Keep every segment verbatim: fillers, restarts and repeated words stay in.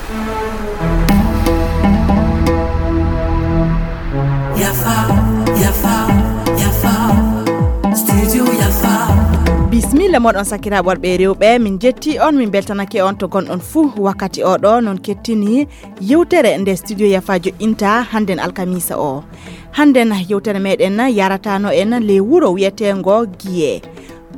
Yafa, yafa, yafa. Studio Yafa. Bismilla moɗon sakiraaɓe worɓe e rewɓe, min jetti on, min beltanake on to gonɗon fuu. Wakkati o ɗo non kettini yewtere nde Studio Yafa joƴƴinta hannden alkamiisa o. Hannden yewtere meɗen yaratano en le wuro wiyeteengo Giye.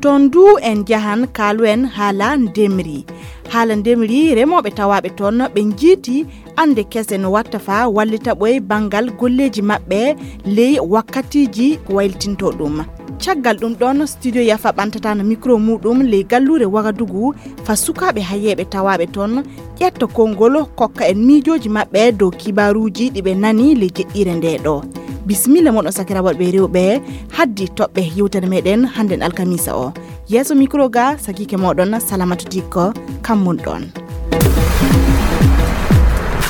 Toon du en njahan kaalu en haala ndemri. Haala ndemri, remooɓe tawaaɓe toon ɓe njiiti annde kese no watta faa wallita ɓoy banngal golleeji maɓɓe ley wakkatiiji ko waylitinto ɗum. Caggal ɗum ɗoon, Studio Yafa ɓantatano mikro muuɗum ley galluure Wagadugu faa sukaaɓe hayeeɓe tawaaɓe toon ƴetta konngol kokka en miijooji maɓɓe dow kibaaruuji ɗi ɓe nani ley jeɗɗiire nde ɗo. Bismilla moɗon sakiraaɓe worɓe e rewɓe, haddi toɓɓe yewtere meɗen hannden alkamiisa o. Yeeso mikro ga sakiike moɗon Salamatu Dikko, kammun ɗoon.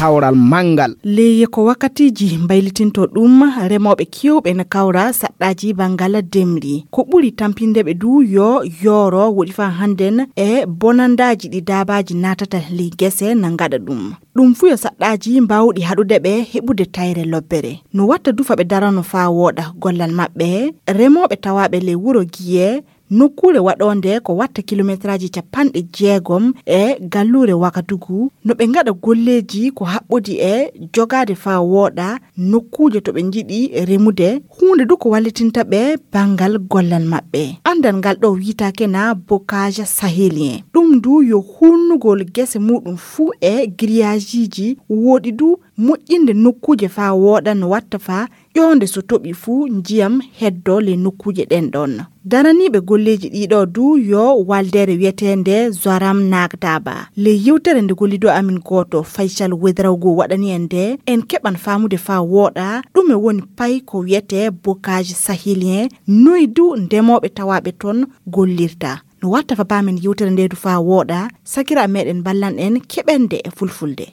Kawral manngal. Ley ko wakkatiiji mbaylitinto ɗum, remooɓe keewɓe no kawra saɗɗaaji banngal ndemri. Ko ɓuri tampinde ɓe du yo yooro woɗi faa hannden e bonandaaji ɗi daabaaji naatata ley gese na ngaɗa ɗum. Ɗum fuu yo saɗɗaaji mbaawɗi haɗude ɓe heɓude tayre lobbere. No watta du faa ɓe darano faa wooɗa gollal maɓɓe. Remooɓe tawaaɓe ley wuro Giye, nokkuure waɗoonde ko watta kilometraaji capanɗe jeegom e galluure Wagadugu, no ɓe ngaɗa golleeji ko haɓɓodi e jogaade faa wooɗa nokkuuje to ɓe njiɗi remude, huunde du ko wallitinta ɓe banngal gollal maɓɓe. Anndal ngal ɗo wiyetaake na bocage sahélien. Ɗum du yo huulnugol gese muuɗum fuu e grillage-iiji, woɗi du moƴƴinde nokkuuje faa wooɗa no watta faa ƴoonde so toɓi fuu ndiyam heddo ley nokkuuje ɗen ɗon. Daraniiɓe golleeji ɗii ɗo du yo waldeere wiyeteende Zoram Nagdaba. Ley yewtere nde gollido amin gooto Faysal Wedraogo waɗani en nde, en keɓan faamude faa wooɗa ɗume woni pay ko wiyetee bocage sahélien, noy du ndemooɓe tawaaɓe toon gollirta. No watta faa paamen yewtere nde du faa wooɗa, sakiraaɓe meɗen mballan en keɓen nde e fulfulde.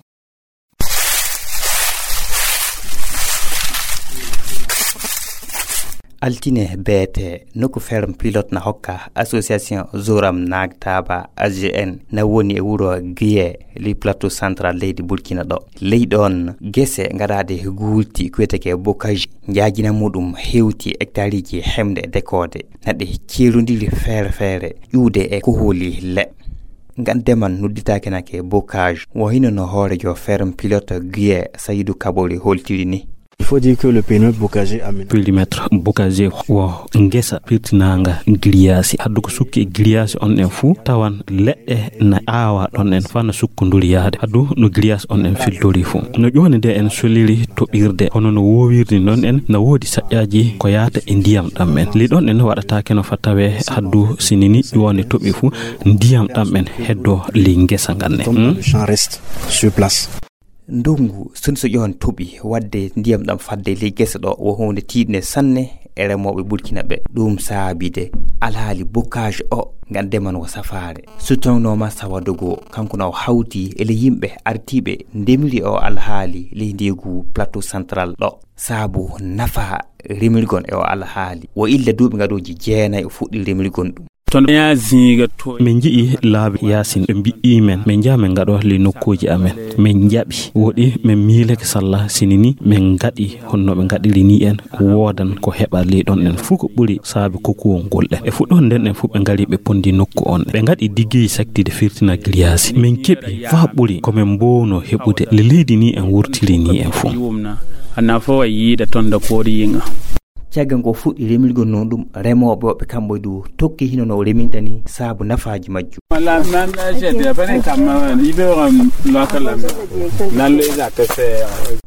Altine beete, nokku ferme pilote na hokka association Zoram Nagtaba A G N na woni e wuro Guiye, ley plateau central leydi Burkina ɗo. Ley ɗon gese ngaɗaaɗe guulti ko wiyetee bocage, njaajina muɗum hewti hectareji hemɗe e dekoode. Na ɗe ceerondiri feere feere, ƴuwde e koholi le. Ngan demal nodditaake nake bocage, wo hino no hoorejo ferme pilote Guiye Sayidou Kabori holtiri ni. Il faut dire que le périmètre bocager aménagé. Périmètre bocager wo ngesa pirtinaanga giriyaasi. Haddu ko sukki e giriyaasi on en fuu, tawan leɗɗe na aawa ɗon en faa na sukkonduri yahde. Haddu no giriyaasi on en filtori fuu. No ƴoone nde en soliri toɓirde, hono no woowirdi non en, na woodi saƴƴaaji ko yaata e ndiyam ɗam en. Ley ɗon en waɗataake no faa tawee haddu sinini ƴoone toɓi fuu, ndiyam ɗam en heddo ley ngesa ngan ne. Comme le champ reste sur place. Ndongu, so ni so ƴoon toɓi, waɗde ndiyam ɗam fadde ley gese ɗo, wo huunde tiiɗnde sanne e remooɓe Burkina ɓe. Ɗum saabide alhaali bocage o, ngan demal wo safaare. So tawno Massa Wadogo, kanko na o hawti e ley yimɓe artiiɓe ndemiri o alhaali ley ndeegu plateau central ɗo. Saabu nafa remirgon e o alhaali. Wo illa duuɓi ngaɗooji jeenay o fuɗɗi remirgon ɗum. Ton ya zinga to. Min nji'i laabi yaasin, ɓe mbi'i men, min njaha min ngaɗo ley nokkuuji amen. Min njaɓi, woɗi min miilake salla sini ni min ngaɗi honno ɓe ngaɗiri ni en, woodan ko heɓa ley ɗon en fuu ko ɓuri saabi kokuwol ngol ɗen. E fuɗɗoode nden en fuu ɓe ngari ɓe pondi nokku on. Ɓe ngaɗi diggeyi saktide firtina giriyaasi. Min keɓi faa ɓuri ko min mboowno heɓude le leydi ni en wurtiri ni en fuu. Ana fo a yiida ton da koori yinga. Caggal ko fuɗɗi remirgol non ɗum, remooɓe woɓɓe kamɓe du tokki hino no o reminta ni saabu nafaaji majjum. Wala nan jede bane kamma ni be ram lokal nan le za ka se.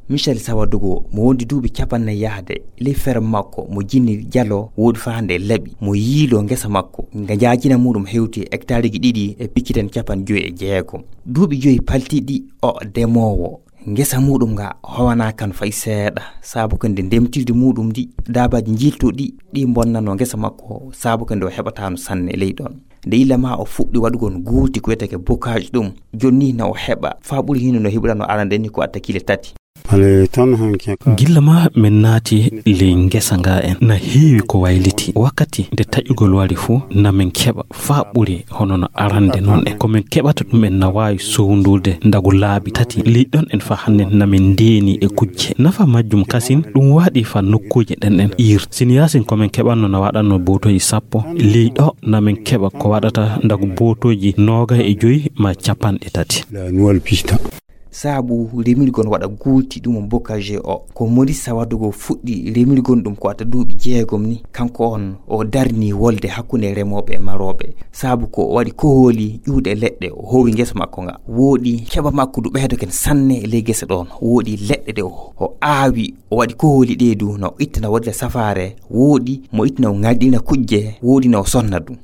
Michel Sawadogo mo wondi duuɓi capannay yahde ley ferme makko mo jinni jalo woodi faa hande laɓi mo yiilo ngesa makko nga njaajina muɗum hewti hectareji ɗiɗi e picciten capanɗe joyi e jeegom. Duuɓi joyi paltiɗi o demoowo. Ngesa muɗum nga howana kan fay seeɗa, saabu ko nde ndemtirdi muɗum ndi, daabaaji njiltuɗi ɗi bonnano ngesa makko, saabu ko nde o heɓataano sanne ley ɗon. Nde illa ma o fuɗɗi waɗugol guuti ko wiyetee bocage ɗum, jonni na o heɓa faa ɓuri hino no heɓirano arande ni ko atta kile tati. Gilla ma min naati ley ngesa nga en, na heewi ko wayliti. Wakkati nde taƴugol wari fu, na min keɓa faa ɓuri hono no arande non en. Ko min keɓata ɗum en na waawi sowndurde ndagu laabi tati. Ley ɗon en faa hannden na min ndeeni e kujje. Nafa majjum kasin, ɗum waɗi faa nokkuuje ɗen en iir. Sini yaasin ko min keɓanno na waɗanno bootooji sappo, ley ɗo na min keɓa ko waɗata ndagu bootooji noogay e joy maa capanɗe tati. Saabu remirgol waɗa guuti ɗum on bocage o. Ko Maurice Sawadogo fuɗɗi remirgol ɗum ko adda duuɓi jeegom ni. Kanko on o darni wolde hakkunde remooɓe e marooɓe. Saabu ko o waɗi kohooli ƴuuɗe leɗɗe, o hoowi ngesa makko nga. Wooɗi keɓa makko du ɓeydo ken sanne e ley gese ɗon. Wooɗi leɗɗe ɗe o, o aawi, o waɗi kohooli ɗe du no ittana wodde safaare. Wooɗi mo ittana o ŋarɗina kujje, wooɗi no o sonna du.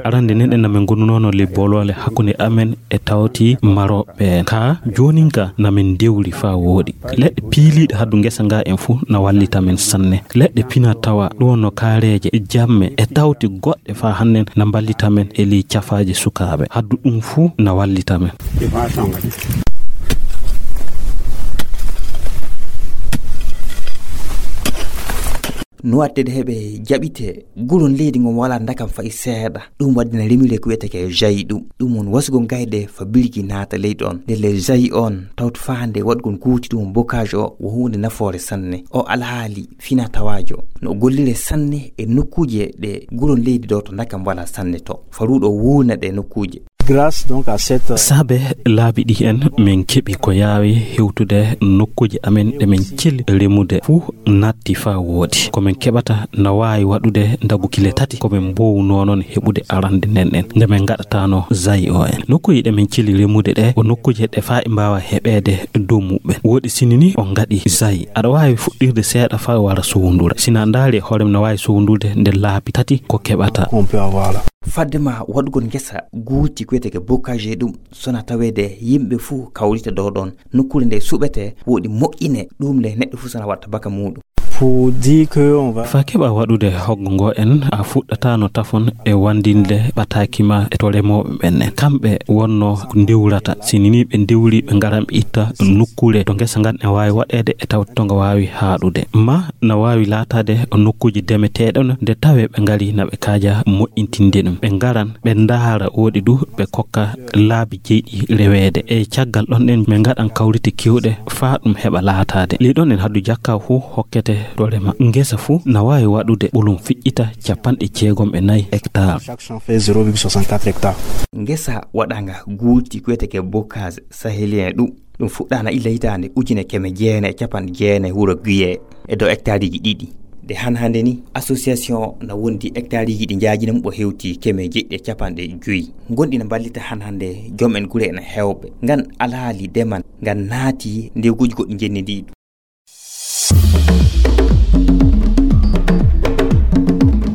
Arande nen en na min ngonunoono ley booloole hakkunde amen e tawti marooɓe en. Ka joonin ka na min dewri faa wooɗi. Leɗɗe piiliiɗe haddu ngesa nga en fu na wallita min sanne. Leɗɗe pina tawa ɗum no kaareeje, jamme e tawti goɗɗe faa hannden na mballita min e ley cafaaje sukaaɓe. Haddu ɗum fu na wallita min. No waɗtede heɓe jaɓite, gulon leydi ngon walaa ndakam fay seeɗa. Ɗum waɗdina remire ko wiyetee ke jayi ɗum. Ɗum won wasugol gayɗe fa birgi naata ley ɗon. Ndelle jayi on tawto faande waɗgol guuti ɗum bocage o wo huunde nafoore sanne. O alhaali fina tawaajo. No gollire sanne e nokkuuje ɗe gulon leydi ɗo to ndakam walaa sanne to. Faruɗo wuuna ɗe nokkuuje. Grâce donc à cette Saabe laabi ɗi en min keɓi ko yaawi hewtude nokkuuje amen ɗe min cili remude fuu natti faa wooɗi. Ko min keɓata na waawi waɗude ndagu kile tati ko min mboowunoo non heɓude arande nden en nde min ngaɗataano jayi o en. Nokkuuje ɗe min cili remude ɗe ko nokkuuje ɗe faa e mbaawa heɓeede dow muɓɓen. Wooɗi sini ni on ngaɗi jayi. Aɗa waawi fuɗɗirde seeɗa faa wara sowndura. Sina ndaari e hoore mum na waawi sowndurde nde laabi tati ko keɓata. Qu'on peut avoir là. Fadde ma waɗugol ngesa guuti ko wiyetee ke bocage ɗum, sona taweede yimɓe fuu kawrita dow ɗon. Nokkuure nde suɓete, wooɗi moƴƴine, ɗum le neɗɗo fuu sona watta baka muuɗum. Pour dire que on va Faa keɓa waɗude hoggo ngo en, a fuɗɗataano tafon e wandinde ɓataaki ma e to remooɓe ɓen en. Kamɓe wonno ko ndewrata. Sini ni ɓe ndewri, ɓe ngaran ɓe itta nokkuure to ngesa ngan e waawi waɗeede e tawti to nga waawi haaɗude. Ma na waawi laataade nokkuuje demeteeɗe no nde tawee ɓe ngari na ɓe kaaja moƴƴintinde ɗum. Ɓe ngaran, ɓe ndaara wooɗi du, ɓe kokka laabi jeyɗi reweede. E caggal ɗon ɗen, min ngaɗan kawrite keewɗe faa ɗum heɓa laataade. Ley ɗon en haddu jakka fuu hokkete to rema. Ngesa fuu na waawi waɗude ɓolum fiƴƴita capanɗe jeegom e nayi hectare. Chaque champ fait zéro virgule soixante-quatre hectares. Ngesa waɗaanga guuti ko wiyetee ke bocage sahélien ɗum. Ɗum fuɗɗaana illa hitaande ujine keme jeenayi e capanɗe jeenayi wuro Guiye e dow hectareji ɗiɗi. Nde han hannde ni, association na wondi hectareji ɗi njaajinam o hewti keme jeɗɗi e capanɗe joyi. Gonɗi na mballita han hannde joom en gure ena heewɓe. Ngan alhaali demal ngan naati nde guji goɗɗi njenni ndi.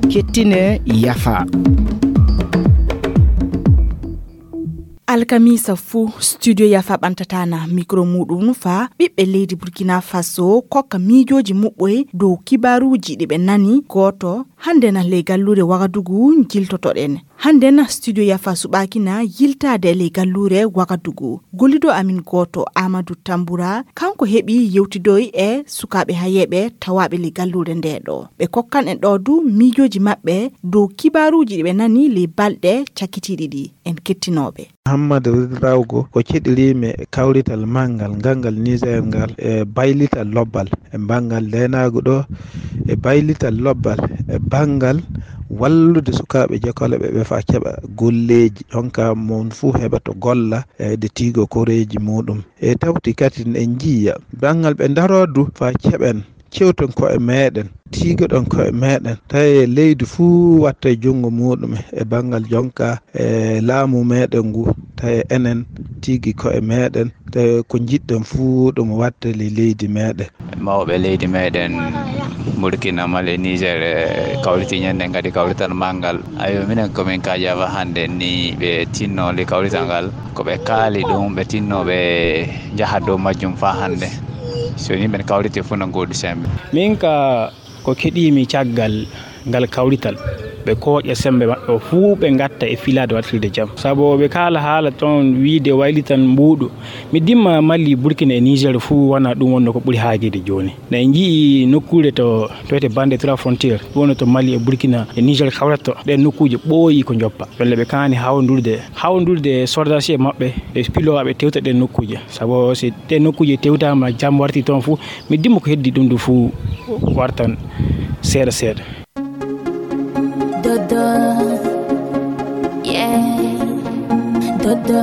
Kettine yafa. Alkamisa fuu, Studio Yafa ɓantataana mikro muuɗum faa ɓiɓɓe leydi Burkina Faso kokka miijooji muɓɓoy dow kibaaruuji ɗi ɓe nani. Gooto, hannden ley galluure Wagadugu njiltotoɗen. Hannden Studio Yafa suɓaaki na yiltaade ley galluure Wagadugu. Gollido amin gooto, Amadou Tamboura, kanko heɓi yewtidoy e sukaaɓe hayeeɓe tawaaɓe ley galluure ndee ɗo. Ɓe kokkan en ɗoo du miijooji maɓɓe dow kibaaruuji ɗi ɓe nani ley balɗe cakkitiiɗi ɗi. En kettinooɓe. Muhammad Ridrawgo ko keɗiriimi e kawrital manngal ngal ngal Niger ngal e baylital lobbal e banngal ndeenaagu ɗo e baylital lobbal e banngal wallude sukaaɓe jekolooɓe ɓe faa keɓa golleeji, jonka mon fuu heɓa to golla e de tiigo koreeji muuɗum. E tawti kadi en njiya banngal ɓe ndaroo du faa keɓen cewten ko'e meeɗen, tiigoɗen ko'e meeɗen, tawi leydi fuu watta e junngo muuɗum e banngal jonka e laamu meeɗen ngu, tawi enen tigi ko'e meeɗen, tawi ko njiɗɗen fuu ɗum watta e leydi meeɗen. Mawɓe leydi meeɗen Burkina, Mali, Niger, e kawriti ñande ngadi kawrital manngal. Ayo, minen ko min kaajaama hannde ni ɓe tinno li kawrital ngal. Ko ɓe kaali ɗum, ɓe tinno ɓe njaha dow majjum faa hannde. So ni ɓen kawriti fuu no ngooɗi sembe. Min ka ko keɗiimi caggal ngal kawrital, ɓe kooƴa semmbe maɓɓe o fuu ɓe ngatta e filaade wartirde jam. Sabu ɓe kaala haala toon wiyde waylitan mbuuɗu. Mi dimma Mali, Burkina e Niger fuu wonaa ɗum wonnoo ko ɓuri haajeede jooni. Ne en njiyii nokkuure to, to wiyetee Bande Trois Frontières, ɗum wonnoo to Mali e Burkina e Niger kawrata to. Ɗeen nokkuuje ɓooyii ko njoppa. Walla ɓe kaani hawndurde, hawndurde e sordaasiiɓe maɓɓe, e pilowaaɓe tewta ɗeen nokkuuje. Sabu so ɗeen nokkuuje tewtaama, jam wartii toon fuu, mi dimma ko heddii ɗum ɗum fuu wartan seeɗa seeɗa. Dodo, yeah, Dodo,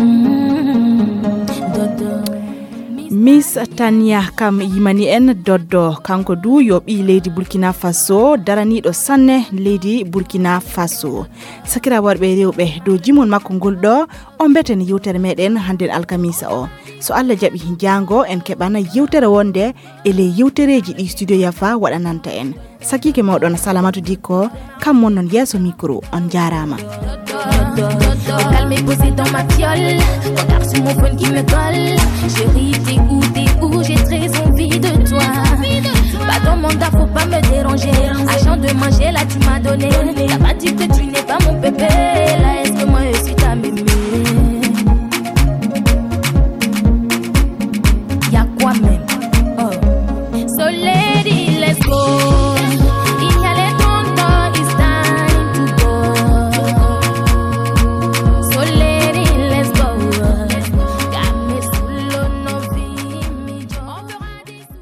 mm, Dodo. Miss Tania kam yimani en Doddo, kanko du yo ɓii leydi Burkina Faso, daraniiɗo sanne leydi Burkina Faso. Sakira worɓe e rewɓe, dow jimol makko ngol ɗo, o mbeten yewtere meɗen hannden alkamisa o. So Allah jaɓi, jaango en keɓana yewtere wonde e ley yewtereeji ɗi Studio Yafa waɗananta en. Sakiike mooɗon Salamatu Dikko, kam mon non yeeso micro, on jaaraama. Calme posé dans ma fiole, regarde sur mon phone qui me colle. Chérie, t'es où, t'es où, j'ai très envie de toi. Pas dans mon dard, faut pas me déranger. Argent de manger, là tu m'as donné. T'as pas dit que tu n'es pas mon bébé. Là, est-ce que moi je suis ta mémé?